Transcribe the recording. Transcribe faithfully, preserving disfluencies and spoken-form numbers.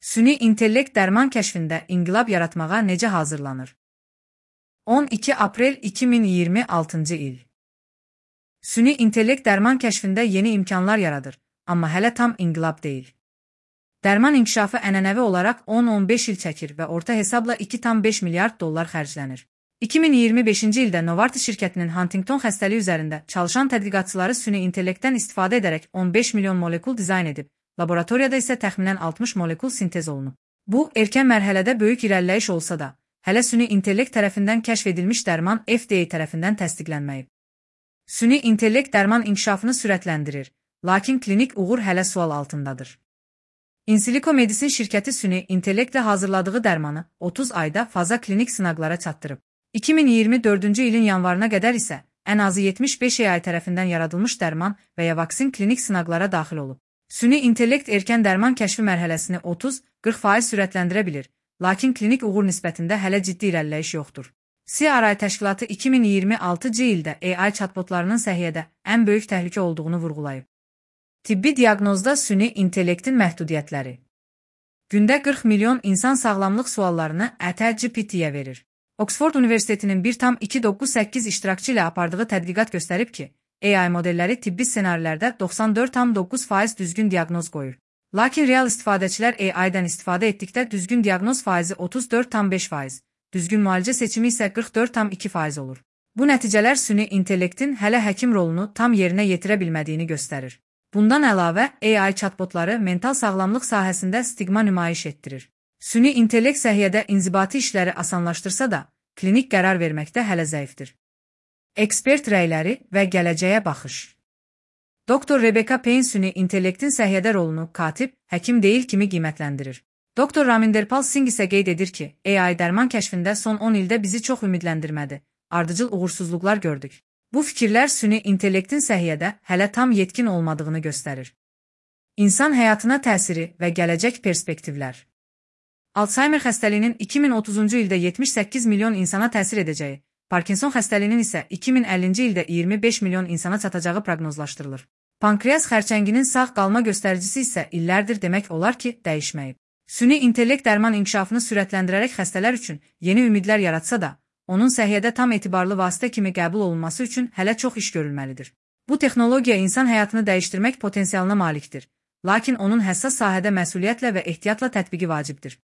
Süni intellekt dərman kəşfində inqilab yaratmağa necə hazırlanır? on iki aprel iki min iyirmi altıncı il. Süni intellekt dərman kəşfində yeni imkanlar yaradır, amma hələ tam inqilab deyil. Dərman inkişafı ənənəvi olaraq on on beş il çəkir və orta hesabla iki tam beş milyard dollar xərclənir. iki min iyirmi beşinci ildə Novartis şirkətinin Huntington xəstəliyi üzərində çalışan tədqiqatçıları süni intellektdən istifadə edərək on beş milyon molekul dizayn edib, laboratoriyada isə təxminən altmış molekul sintez olunub. Bu, erkən mərhələdə böyük irəliləyiş olsa da, hələ süni intellekt tərəfindən kəşf edilmiş dərman F D A tərəfindən təsdiqlənməyib. Süni intellekt dərman inkişafını sürətləndirir, lakin klinik uğur hələ sual altındadır. Insilico Medicine şirkəti süni intellektlə hazırladığı dərmanı otuz ayda faza klinik sınaqlara çatdırıb. iki min iyirmi dördüncü ilin yanvarına qədər isə ən azı yetmiş beş A I tərəfindən yaradılmış dərman və ya vaksin klinik sınaqlara daxil olub. Süni intellekt erkən dərman kəşfi mərhələsini otuz qırx faiz sürətləndirə bilir, lakin klinik uğur nisbətində hələ ciddi irəliləyiş yoxdur. C R I təşkilatı iki min iyirmi altıncı ildə A I chatbotlarının səhiyyədə ən böyük təhlükə olduğunu vurğulayıb. Tibbi diaqnozda süni intellektin məhdudiyyətləri. Gündə qırx milyon insan sağlamlıq suallarını ChatGPT-yə verir. Oxford Universitetinin bir tam iki doqquz səkkiz iştirakçı ilə apardığı tədqiqat göstərib ki, A I modelləri tibbi ssenarilərdə doxsan dörd tam doqquz faiz düzgün diaqnoz qoyur. Lakin real istifadəçilər A I-dən istifadə etdikdə düzgün diaqnoz faizi otuz dörd tam beş faiz, düzgün müalicə seçimi isə qırx dörd tam iki faiz olur. Bu nəticələr süni intellektin hələ həkim rolunu tam yerinə yetirə bilmədiyini göstərir. Bundan əlavə, A I chatbotları mental sağlamlıq sahəsində stigma nümayiş etdirir. Süni intellekt səhiyyədə inzibati işləri asanlaşdırsa da, klinik qərar verməkdə hələ zəifdir. Ekspert rəyləri və gələcəyə baxış. Doktor Rebecca Payne süni intellektin səhiyyədə rolunu katib, həkim deyil kimi qiymətləndirir. Doktor Raminderpal Singh isə qeyd edir ki, A I dərman kəşfində son on ildə bizi çox ümidləndirmədi, ardıcıl uğursuzluqlar gördük. Bu fikirlər süni intellektin səhiyyədə hələ tam yetkin olmadığını göstərir. İnsan həyatına təsiri və gələcək perspektivlər. Alzheimer xəstəliyinin iki min otuzuncu ildə yetmiş səkkiz milyon insana təsir edəcəyi, Parkinson xəstəliyinin isə iki min əllinci ildə iyirmi beş milyon insana çatacağı proqnozlaşdırılır. Pankreas xərçənginin sağ qalma göstəricisi isə illərdir demək olar ki, dəyişməyib. Süni intellekt dərman inkişafını sürətləndirərək xəstələr üçün yeni ümidlər yaratsa da, onun səhiyyədə tam etibarlı vasitə kimi qəbul olunması üçün hələ çox iş görülməlidir. Bu texnologiya insan həyatını dəyişdirmək potensialına malikdir, lakin onun həssas sahədə məsuliyyətlə və ehtiyatla tətbiqi vacibdir.